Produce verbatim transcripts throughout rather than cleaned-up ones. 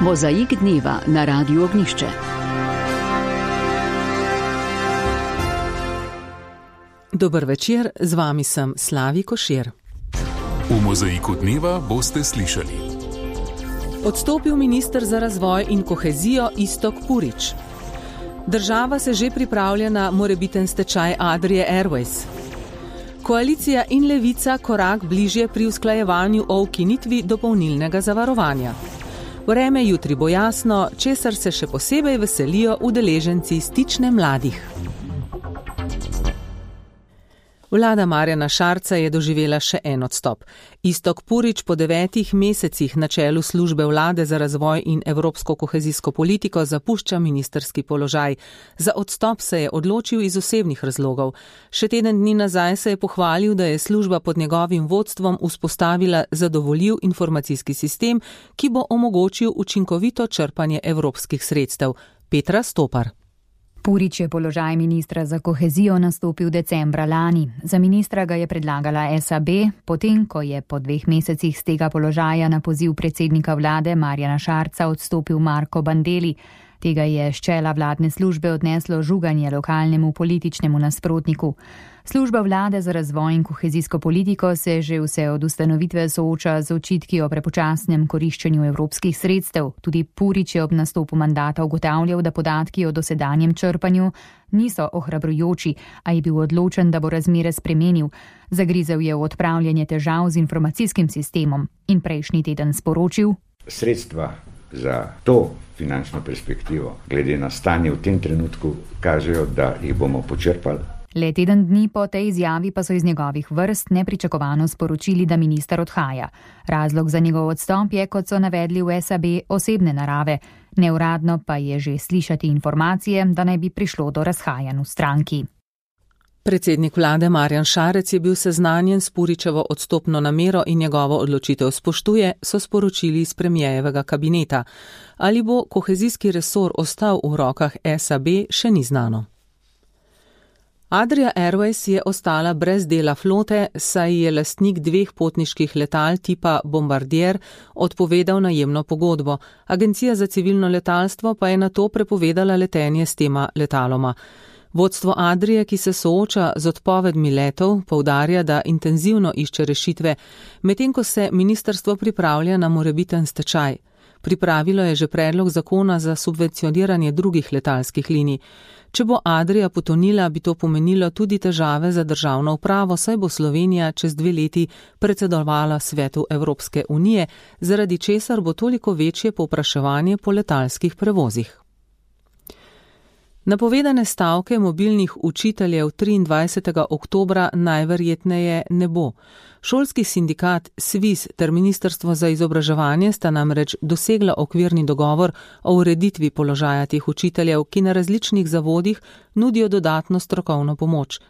Mozaik dneva na Radiu Ognjišče. Dober večer, z vami sem Slavi Košir. V Mozaiku dneva boste slišali: odstopil minister za razvoj in kohezijo Iztok Purič. Država se že pripravlja na morebiten stečaj Adrie Airways. Koalicija in Levica korak bližje pri usklajevanju o ukinitvi dopolnilnega zavarovanja. Vreme jutri bo jasno, česar se še posebej veselijo udeleženci stične mladih. Vlada Marjana Šarca je doživela še en odstop. Iztok Purič po devetih mesecih na čelu službe vlade za razvoj in evropsko kohezijsko politiko zapušča ministrski položaj. Za odstop se je odločil iz osebnih razlogov. Še teden dni nazaj se je pohvalil, da je služba pod njegovim vodstvom vzpostavila zadovoljiv informacijski sistem, ki bo omogočil učinkovito črpanje evropskih sredstev. Petra Stopar. Purič je položaj ministra za kohezijo nastopil decembra lani. Za ministra ga je predlagala S A B, potem ko je po dveh mesecih z tega položaja na poziv predsednika vlade Marjana Šarca odstopil Marko Bandelli. Tega je s čela vladne službe odneslo žuganje lokalnemu političnemu nasprotniku. Služba vlade za razvoj in kohezijsko politiko se že vse od ustanovitve sooča z očitki o prepočasnem koriščenju evropskih sredstev. Tudi Purič je ob nastopu mandata ugotavljal, da podatki o dosedanjem črpanju niso ohrabrujoči, a je bil odločen, da bo razmere spremenil. Zagrizel je v odpravljanje težav z informacijskim sistemom in prejšnji teden sporočil: sredstva za to finančno perspektivo, glede na stanje v tem trenutku, kažejo, da jih bomo počrpali. Le teden dni po tej izjavi pa so iz njegovih vrst nepričakovano sporočili, da minister odhaja. Razlog za njegov odstop je, kot so navedli v S A B, osebne narave. Neuradno pa je že slišati informacije, da naj bi prišlo do razhajanj v stranki. Predsednik vlade Marjan Šarec je bil seznanjen s Puričevo odstopno namero in njegovo odločitev spoštuje, so sporočili iz premijejevega kabineta. Ali bo kohezijski resor ostal v rokah S A B, še ni znano. Adria Airways je ostala brez dela flote, saj je lastnik dveh potniških letal tipa Bombardier odpovedal najemno pogodbo. Agencija za civilno letalstvo pa je nato prepovedala letenje s tema letaloma. Vodstvo Adrije, ki se sooča z odpovedmi letov, poudarja, da intenzivno išče rešitve, medtem ko se ministrstvo pripravlja na morebiten stečaj. Pripravilo je že predlog zakona za subvencioniranje drugih letalskih linij. Če bo Adria potonila, bi to pomenilo tudi težave za državno upravo, saj bo Slovenija čez dve leti predsedovala Svetu Evropske unije, zaradi česar bo toliko večje povpraševanje po letalskih prevozih. Napovedane stavke mobilnih učiteljev triindvajsetega oktobra najverjetneje ne bo. Šolski sindikat SVIZ ter Ministrstvo za izobraževanje sta namreč dosegla okvirni dogovor o ureditvi položaja teh učiteljev, ki na različnih zavodih nudijo dodatno strokovno pomoč.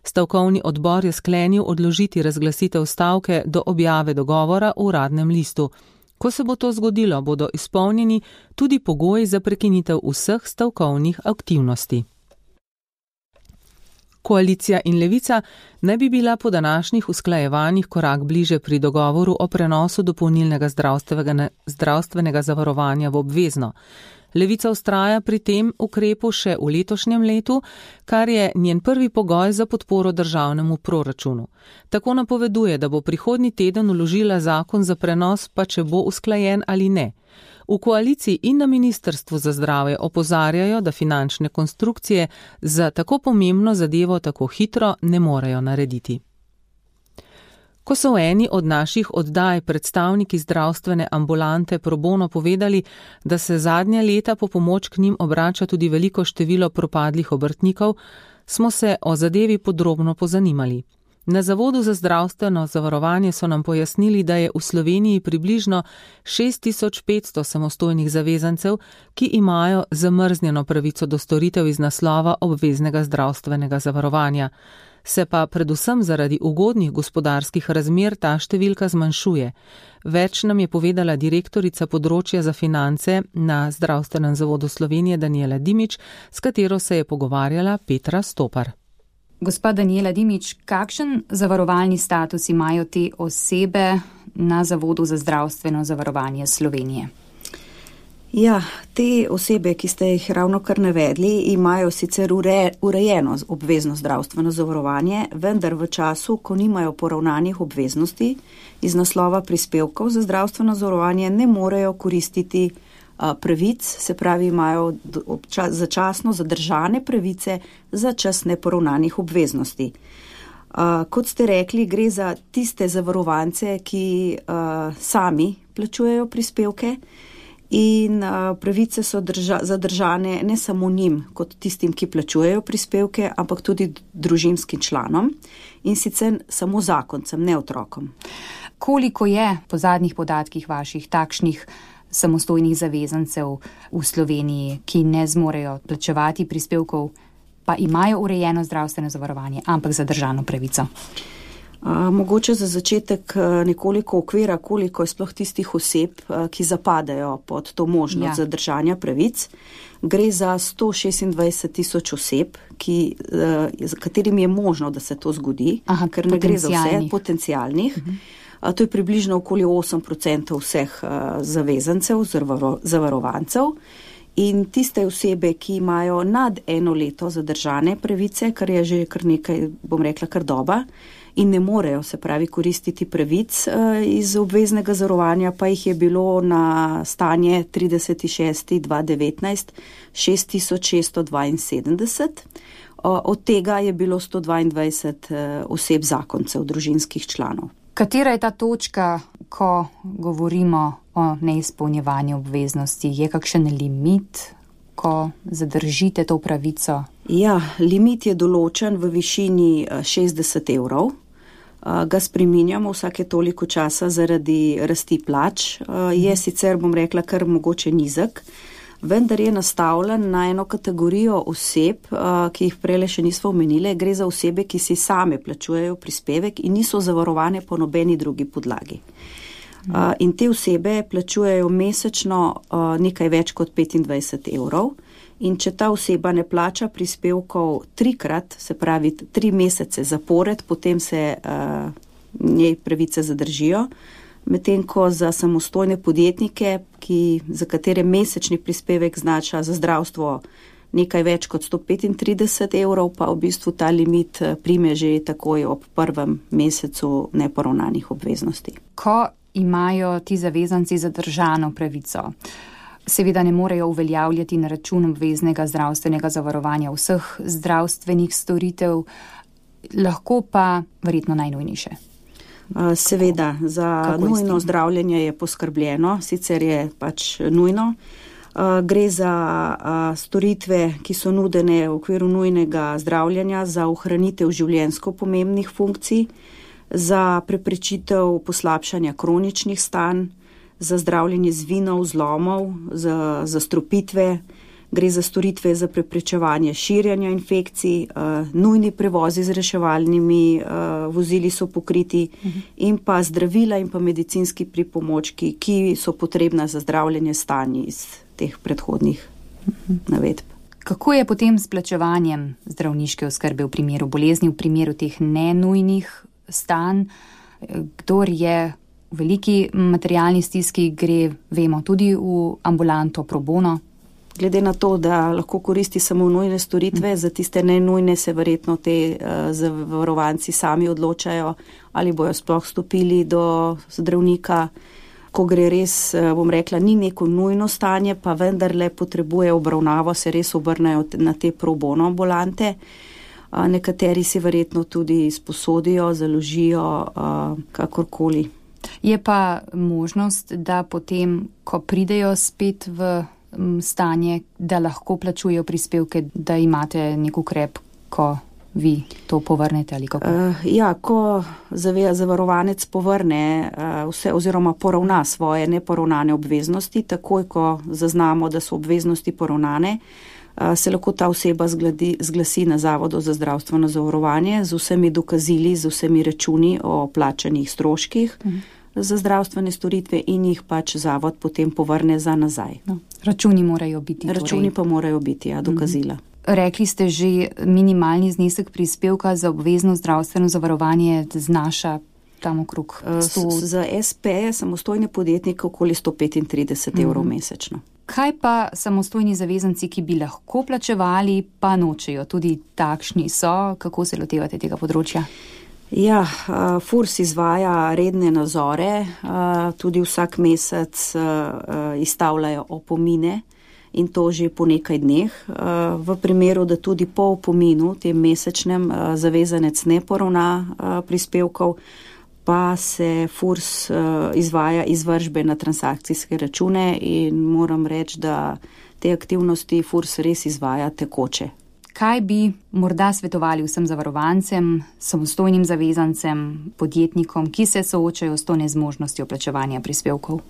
Stavkovni odbor je sklenil odložiti razglasitev stavke do objave dogovora v uradnem listu. Ko se bo to zgodilo, bodo izpolnjeni tudi pogoji za prekinitev vseh stavkovnih aktivnosti. Koalicija in Levica naj bi bila po današnjih usklajevanjih korak bliže pri dogovoru o prenosu dopolnilnega zdravstvenega, zdravstvenega zavarovanja v obvezno. Levica vztraja pri tem ukrepu še v letošnjem letu, kar je njen prvi pogoj za podporo državnemu proračunu. Tako napoveduje, da bo prihodnji teden vložila zakon za prenos, pa če bo usklajen ali ne. V koaliciji in na Ministrstvu za zdravje opozarjajo, da finančne konstrukcije za tako pomembno zadevo tako hitro ne morejo narediti. Ko so v eni od naših oddaj predstavniki zdravstvene ambulante pro bono povedali, da se zadnja leta po pomoč k njim obrača tudi veliko število propadlih obrtnikov, smo se o zadevi podrobno pozanimali. Na Zavodu za zdravstveno zavarovanje so nam pojasnili, da je v Sloveniji približno šest tisoč petsto samostojnih zavezancev, ki imajo zamrznjeno pravico do storitev iz naslova obveznega zdravstvenega zavarovanja. Se pa predvsem zaradi ugodnih gospodarskih razmer ta številka zmanjšuje. Več nam je povedala direktorica področja za finance na Zdravstvenem zavodu Slovenije Danijela Dimič, s katero se je pogovarjala Petra Stopar. Gospa Danijela Dimič, kakšen zavarovalni status imajo te osebe na Zavodu za zdravstveno zavarovanje Slovenije? Ja, te osebe, ki ste jih ravno kar navedli, imajo sicer ure, urejeno obvezno zdravstveno zavarovanje, vendar v času, ko nimajo poravnanih obveznosti iz naslova prispevkov za zdravstveno zavarovanje, ne morejo koristiti a, pravic, se pravi, imajo obča, začasno zadržane pravice za čas neporavnanih obveznosti. A, kot ste rekli, gre za tiste zavarovance, ki a, sami plačujejo prispevke, in uh, pravice so drža, zadržane ne samo njim, kot tistim, ki plačujejo prispevke, ampak tudi družinskim članom in sicer samo zakoncem, ne otrokom. Koliko je po zadnjih podatkih vaših takšnih samostojnih zavezancev v Sloveniji, ki ne zmorejo plačevati prispevkov, pa imajo urejeno zdravstveno zavarovanje, ampak zadržano pravico? Uh, mogoče za začetek uh, nekoliko okvira, koliko je sploh tistih oseb, uh, ki zapadajo pod to možnost ja. zadržanja pravic. Gre za sto šestindvajset tisoč oseb, ki, uh, za katerim je možno, da se to zgodi, Aha, ker ne gre za vse potencialnih. Uh-huh. Uh, to je približno okoli osem procentov vseh uh, zavezancev, zavaro, zavarovancev. In tiste osebe, ki imajo nad eno leto zadržane pravice, kar je že kar nekaj, bom rekla, kar doba, in ne morejo, se pravi, koristiti pravic uh, iz obveznega zavarovanja, pa jih je bilo na stanje trideseti šesti dva devetnajst šest tisoč šeststo dvainsedemdeset. Uh, od tega je bilo sto dvaindvajset uh, oseb zakoncev, družinskih članov. Katera je ta točka, ko govorimo o neizpolnjevanju obveznosti? Je kakšen limit, ko zadržite to pravico? Ja, limit je določen v višini šestdeset evrov. Ga spreminjamo vsake toliko časa zaradi rasti plač. Je sicer, bom rekla, kar mogoče nizek, vendar je nastavljen na eno kategorijo oseb, ki jih prele še nismo omenile. Gre za osebe, ki si same plačujejo prispevek in niso zavarovane po nobeni drugi podlagi. Uh, in te osebe plačujejo mesečno uh, nekaj več kot petindvajset evrov in če ta oseba ne plača prispevkov trikrat, se pravi tri mesece zapored, potem se uh, njej pravice zadržijo, medtem ko za samostojne podjetnike, ki, za katere mesečni prispevek znaša za zdravstvo nekaj več kot sto petintrideset evrov, pa v bistvu ta limit prime že takoj ob prvem mesecu neporavnanih obveznosti. Ko imajo ti zavezanci zadržano pravico, seveda ne morejo uveljavljati na račun obveznega zdravstvenega zavarovanja vseh zdravstvenih storitev, lahko pa verjetno najnujnejše. Seveda, za nujno zdravljenje je poskrbljeno, sicer je pač nujno. Gre za storitve, ki so nudene v okviru nujnega zdravljenja za ohranitev življenjsko pomembnih funkcij, za preprečitev poslabšanja kroničnih stanj, za zdravljenje zvinov, zlomov, za zastrupitve, gre za storitve za preprečevanje širjanja infekcij, uh, nujni prevozi z reševalnimi uh, vozili so pokriti uh-huh. in pa zdravila in pa medicinski pripomočki, ki so potrebna za zdravljenje stanj iz teh predhodnih uh-huh. navedb. Kako je potem s plačevanjem zdravniške oskrbe v primeru bolezni, v primeru teh nenujnih stanj? Kdor je v veliki materialni stiski, gre, vemo, tudi v ambulanto pro bono? Glede na to, da lahko koristi samo nujne storitve, za tiste nenujne se verjetno te uh, zavarovanci sami odločajo, ali bojo sploh stopili do zdravnika, ko gre res, uh, bom rekla, ni neko nujno stanje, pa vendarle potrebuje obravnavo, se res obrnejo na te pro bono ambulante. Uh, nekateri si verjetno tudi sposodijo, založijo, uh, kakorkoli. Je pa možnost, da potem, ko pridejo spet v stanje, da lahko plačujejo prispevke, da imate nek ukrep, ko vi to povrnete ali kako? Uh, ja, ko zavarovanec povrne uh, vse oziroma poravna svoje neporavnane obveznosti, takoj ko zaznamo, da so obveznosti poravnane, uh, se lahko ta oseba zgladi, zglasi na Zavodu za zdravstveno zavarovanje z vsemi dokazili, z vsemi računi o plačanih stroških uh-huh. za zdravstvene storitve in jih pač zavod potem povrne za nazaj. No, računi morajo biti. Računi torej. pa morajo biti, ja, dokazila. Mm-hmm. Rekli ste že, minimalni znesek prispevka za obvezno zdravstveno zavarovanje znaša tam okrog sto... Za es pe, samostojne podjetnike, okoli sto petintrideset mm-hmm. evrov mesečno. Kaj pa samostojni zavezanci, ki bi lahko plačevali, pa nočejo? Tudi takšni so. Kako se lotevate tega področja? Ja, Furs izvaja redne nazore, tudi vsak mesec izstavljajo opomine in to že po nekaj dneh. V primeru, da tudi po opominu, tem mesečnem, zavezanec ne poravna prispevkov, pa se Furs izvaja izvršbe na transakcijske račune in moram reči, da te aktivnosti Furs res izvaja tekoče. Kaj bi morda svetovali vsem zavarovancem, samostojnim zavezancem, podjetnikom, ki se soočajo s to nezmožnostjo plačevanja prispevkov?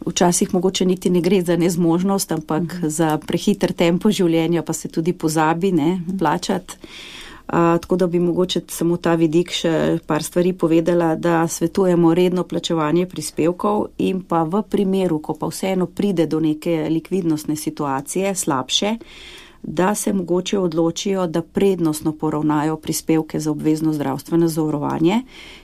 Včasih mogoče niti ne gre za nezmožnost, ampak uh-huh. za prehiter tempo življenja pa se tudi pozabi ne, plačati. Uh, tako da bi mogoče samo ta vidik še par stvari povedala, da svetujemo redno plačevanje prispevkov in pa v primeru, ko pa vseeno pride do neke likvidnostne situacije, slabše, da se mogoče odločijo, da prednostno poravnajo prispevke za obvezno zdravstveno zavarovanje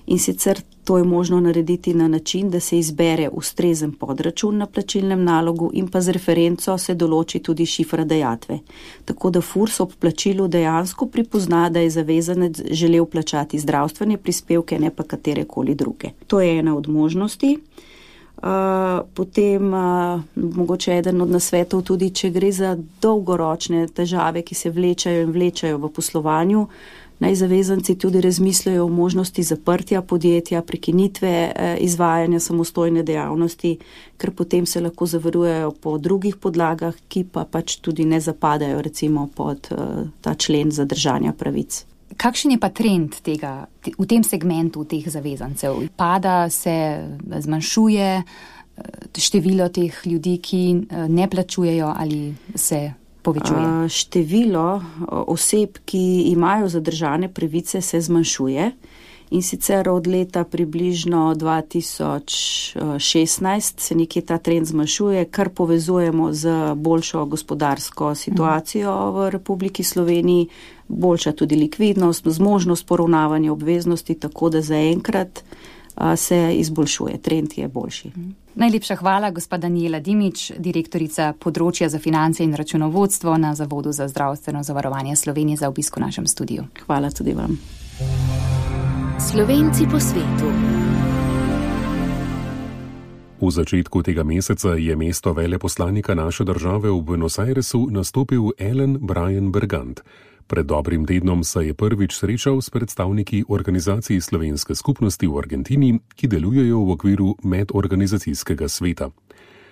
in sicer to je možno narediti na način, da se izbere ustrezen podračun na plačilnem nalogu in pa z referenco se določi tudi šifra dajatve. Tako da Furs ob plačilu dejansko pripozna, da je zavezanec želel plačati zdravstvene prispevke, ne pa katerekoli druge. To je ena od možnosti. Uh, potem uh, mogoče eden od nasvetov tudi, če gre za dolgoročne težave, ki se vlečajo in vlečajo v poslovanju, naj zavezanci tudi razmislijo o možnosti zaprtja podjetja, prekinitve eh, izvajanja samostojne dejavnosti, ker potem se lahko zavarujejo po drugih podlagah, ki pa pač tudi ne zapadajo recimo pod eh, ta člen zadržanja pravic. Kakšen je pa trend tega, v tem segmentu teh zavezancev? Pada se, zmanjšuje število teh ljudi, ki ne plačujejo ali se povečuje? Število oseb, ki imajo zadržane pravice, se zmanjšuje in sicer od leta približno dva tisoč šestnajst se nekje ta trend zmanjšuje, kar povezujemo z boljšo gospodarsko situacijo v Republiki Sloveniji, boljša tudi likvidnost, zmožnost poravnavanja obveznosti, tako da zaenkrat se izboljšuje, trend je boljši. Najlepša hvala, gospa Danijela Dimič, direktorica področja za finance in računovodstvo na Zavodu za zdravstveno zavarovanje Slovenije, za obisk v našem studiu. Hvala tudi vam. Slovenci po svetu. V začetku tega meseca je mesto veleposlanika naše države v Buenos Airesu nastopil Alan Brian Bergant. Pred dobrim tednom se je prvič srečal s predstavniki organizacij slovenske skupnosti v Argentini, ki delujejo v okviru medorganizacijskega sveta.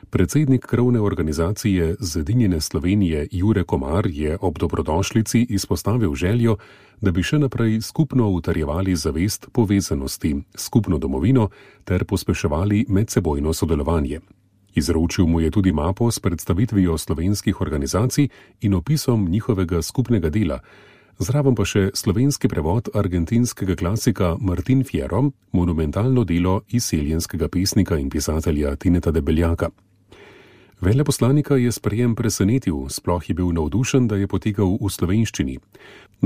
Predsednik krovne organizacije Zedinjene Slovenije Jure Komar je ob dobrodošlici izpostavil željo, da bi še naprej skupno utrjevali zavest povezanosti, skupno domovino ter pospeševali medsebojno sodelovanje. Izročil mu je tudi mapo s predstavitvijo slovenskih organizacij in opisom njihovega skupnega dela, zraven pa še slovenski prevod argentinskega klasika Martin Fierro, monumentalno delo izseljenskega pesnika in pisatelja Tineta Debeljaka. Veleposlanika je sprejem presenetil, sploh je bil navdušen, da je potekal v slovenščini.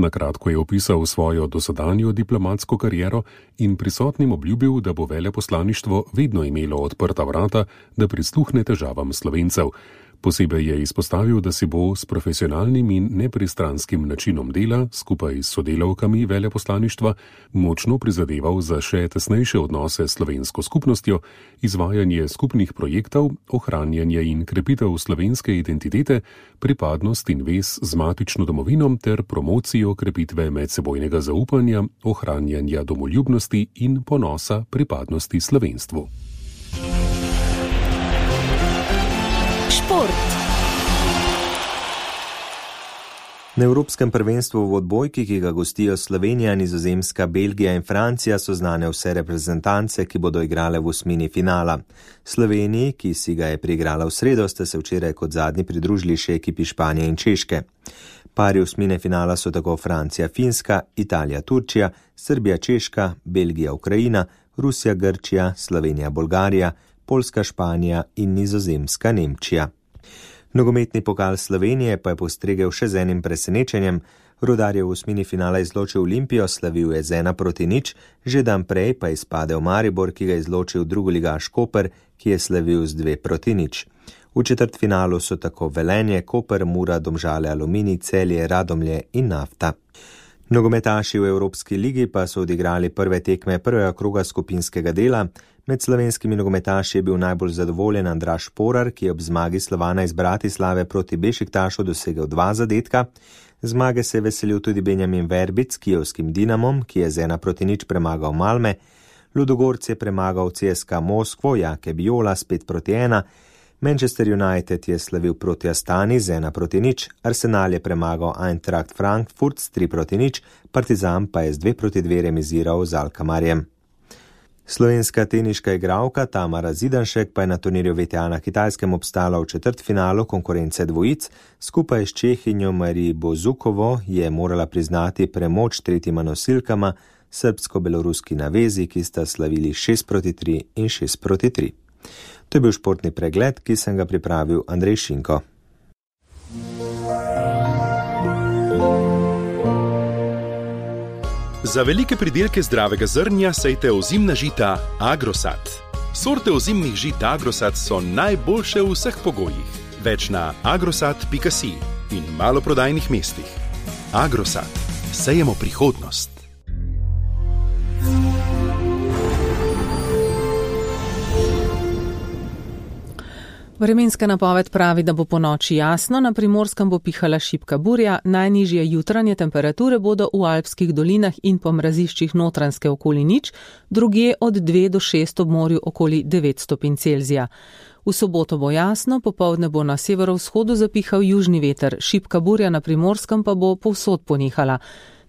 Na kratko je opisal svojo dosedanjo diplomatsko kariero in prisotnim obljubil, da bo veleposlaništvo vedno imelo odprta vrata, da prisluhne težavam Slovencev. Posebej je izpostavil, da si bo s profesionalnim in nepristranskim načinom dela skupaj s sodelavkami veleposlaništva močno prizadeval za še tesnejše odnose s slovensko skupnostjo, izvajanje skupnih projektov, ohranjanje in krepitev slovenske identitete, pripadnost in vez z matično domovino ter promocijo krepitve medsebojnega zaupanja, ohranjanja domoljubnosti in ponosa pripadnosti slovenstvu. Šport. Na Evropskem prvenstvu v odbojki, ki ga gostijo Slovenija, Nizozemska, Belgija in Francija, so znane vse reprezentance, ki bodo igrale v osmini finala. Sloveniji, ki si ga je priigrala v sredo, sta se včeraj kot zadnji pridružili še ekipi Španije in Češke. Pari osmine finala so tako Francija, Finska, Italija, Turčija, Srbija, Češka, Belgija, Ukrajina, Rusija, Grčija, Slovenija, Bolgarija, Poljska, Španija in Nizozemska, Nemčija. Nogometni pokal Slovenije pa je postregel še z enim presenečenjem. Rudar je v osmini finala izločil Olimpijo, slavil je z ena proti nič, že dan prej pa je izpadel Maribor, ki ga je izločil drugoligaš Koper, ki je slavil z dve proti nič. V četrtfinalu so tako Velenje, Koper, Mura, Domžale, Aluminij, Celje, Radomlje in Nafta. Nogometaši v Evropski ligi pa so odigrali prve tekme prvega kroga skupinskega dela. Med slovenskimi nogometaši je bil najbolj zadovoljen Andraž Porar, ki je ob zmagi Slovana iz Bratislave proti Bešiktašu dosegel dva zadetka. Zmage se je veselil tudi Benjamin Verbic s kijevskim Dinamom, ki je z ena proti nič premagal Malme. Ludogorc je premagal C S K Moskvo, Jake Biola s pet proti ena. Manchester United je slavil proti Astani z ena proti nič, Arsenal je premagal Eintracht Frankfurt s tri proti nič, Partizan pa je z dve proti dve remiziral z Alkamarjem. Slovenska teniška igralka Tamara Zidanšek pa je na turnirju V T A na Kitajskem obstala v četrtfinalu konkurence dvojic. Skupaj s Čehinjo Marij Bozukovo je morala priznati premoč tretjima nosilkama, srbsko-beloruski navezi, ki sta slavili šest proti tri in šest proti tri. To je bil športni pregled, ki sem ga pripravil Andrej Šinko. Za velike pridelke zdravega zrnja sejte ozimna žita Agrosat. Sorte ozimnih žit Agrosat so najboljše v vseh pogojih. Več na agrosat pika si in maloprodajnih mestih. Agrosat. Sejemo prihodnost. Vremenska napoved pravi, da bo po noči jasno, na Primorskem bo pihala šibka burja, najnižje jutranje temperature bodo v alpskih dolinah in po mraziščih Notranjske okoli nič, drugje od dve do šest ob morju okoli devet stopinj Celzija. V soboto bo jasno, popoldne bo na severovzhodu zapihal južni veter, šibka burja na Primorskem pa bo povsod ponehala.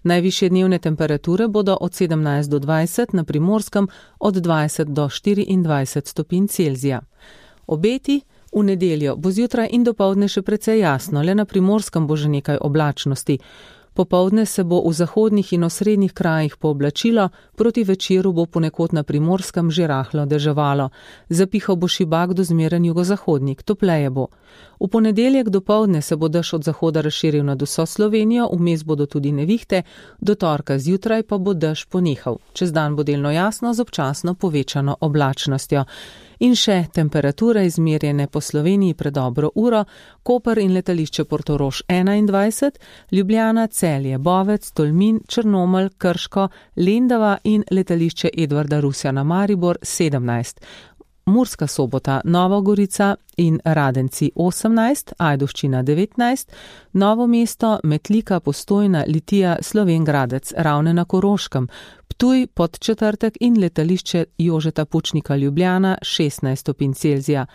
Najvišje dnevne temperature bodo od sedemnajst do dvajset, na Primorskem od dvajset do štiriindvajset stopinj Celzija. Obeti. V nedeljo bo zjutraj in dopoldne še precej jasno, le na Primorskem bo že nekaj oblačnosti. Popoldne se bo v zahodnih in osrednjih krajih pooblačilo, proti večeru bo ponekod na Primorskem že rahlo deževalo. Zapihal bo šibak do zmeren jugozahodnik, topleje bo. V ponedeljek dopoldne se bo dež od zahoda razširil nad vso Slovenijo, vmes bodo tudi nevihte, do torka zjutraj pa bo dež ponehal. Čez dan bo delno jasno z občasno povečano oblačnostjo. In še temperature izmerjene po Sloveniji pred dobro uro, Koper in letališče Portorož enaindvajset, Ljubljana, Celje, Bovec, Tolmin, Črnomelj, Krško, Lendava in letališče Edvarda Rusjana Maribor sedemnajst. Murska Sobota, Nova Gorica in Radenci osemnajst, Ajdovščina devetnajst, Novo mesto, Metlika, Postojna, Litija, Slovenj Gradec, Ravne na Koroškem, Ptuj, Podčetrtek in letališče Jožeta Pučnika Ljubljana šestnajst stopinj Celzija.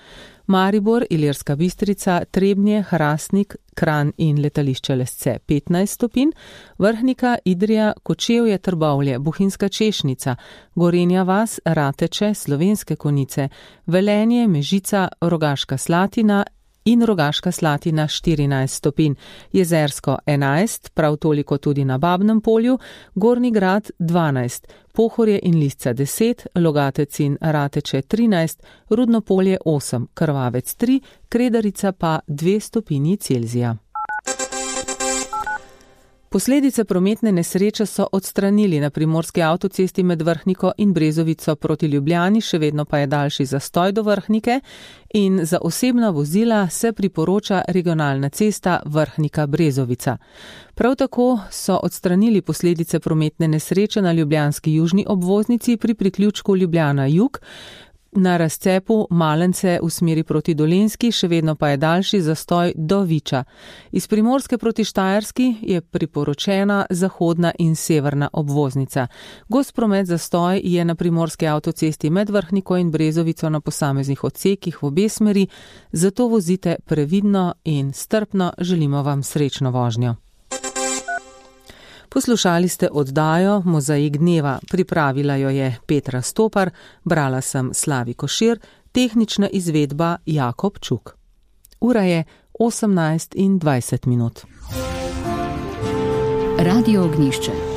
Maribor, Ilirska Bistrica, Trebnje, Hrastnik, Kranj in letališče Lesce petnajst stopinj, Vrhnika, Idrija, Kočevje, Trbovlje, Bohinjska Češnica, Gorenja vas, Rateče, Slovenske Konjice, Velenje, Mežica, Rogaška Slatina in Rogaška Slatina štirinajst stopinj, Jezersko enajst, prav toliko tudi na Babnem polju, Gornji Grad dvanajst, Pohorje in Lisca deset, Logatec in Rateče trinajst, Rudno polje osem, Krvavec tri, Kredarica pa dve stopinji Celzija. Posledice prometne nesreče so odstranili na primorski avtocesti med Vrhniko in Brezovico proti Ljubljani, še vedno pa je daljši zastoj do Vrhnike in za osebna vozila se priporoča regionalna cesta Vrhnika-Brezovica. Prav tako so odstranili posledice prometne nesreče na ljubljanski južni obvoznici pri priključku Ljubljana-Jug, na razcepu Malence v smeri proti Dolenjski, še vedno pa je daljši zastoj do Viča. Iz Primorske proti Štajerski je priporočena zahodna in severna obvoznica. Gost promet zastoj je na primorski avtocesti med Vrhniko in Brezovico na posameznih odsekih v obe smeri, zato vozite previdno in strpno, želimo vam srečno vožnjo. Poslušali ste oddajo Mozaik dneva, pripravila jo je Petra Stopar, brala sem Slavi Košir, tehnična izvedba Jakob Čuk. Ura je osemnajst in dvajset minut. Radio Ognjišče.